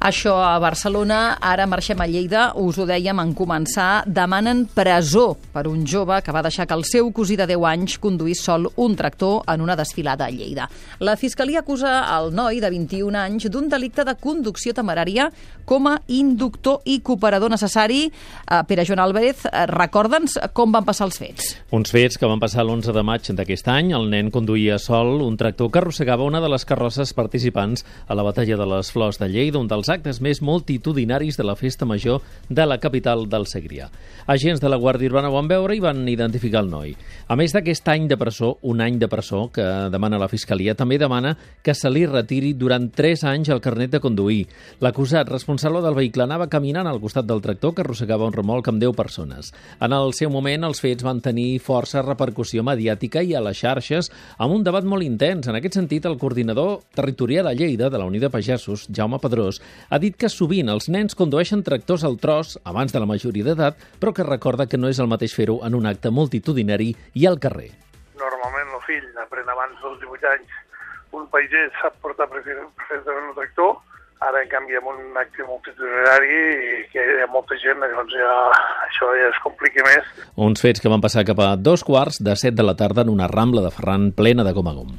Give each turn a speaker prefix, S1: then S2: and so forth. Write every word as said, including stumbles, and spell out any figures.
S1: Això a Barcelona. Ara marxem a Lleida. Us ho dèiem en començar. Demanen presó per un jove que va deixar que el seu cosí de deu anys conduís sol un tractor en una desfilada a Lleida. La Fiscalia acusa el noi de vint-i-un anys d'un delicte de conducció temerària com a inductor i cooperador necessari. Uh, Pere Joan Álvarez, uh, recorda'ns com van passar els fets.
S2: Uns fets que van passar l'onze de maig d'aquest any. El nen conduïa sol un tractor que arrossegava una de les carrosses participants a la Batalla de les Flors de Lleida, un dels actes més multitudinaris de la festa major de la capital del Segrià. Agents de la Guàrdia Urbana ho van veure i van identificar el noi. A més d'aquest any de presó, un any de presó que demana la Fiscalia, també demana que se li retiri durant tres anys el carnet de conduir. L'acusat responsable del vehicle anava caminant al costat del tractor que arrossegava un remolc amb deu persones. En el seu moment, els fets van tenir força repercussió mediàtica i a les xarxes amb un debat molt intens. En aquest sentit, el coordinador territorial a Lleida de la Unió de Pagesos, Jaume Pedrós, ha dit que sovint els nens condueixen tractors al tros abans de la majoria d'edat, però que recorda que no és el mateix fer-ho en un acte multitudinari i al carrer.
S3: Normalment el fill aprèn abans dels divuit anys. Un paisà sap portar perfectament un tractor, ara en canvi amb un acte multitudinari i que hi ha molta gent, doncs ja, això ja es complica més.
S2: Uns fets que van passar cap a dos quarts de set de la tarda en una rambla de Ferran plena de gom a gom.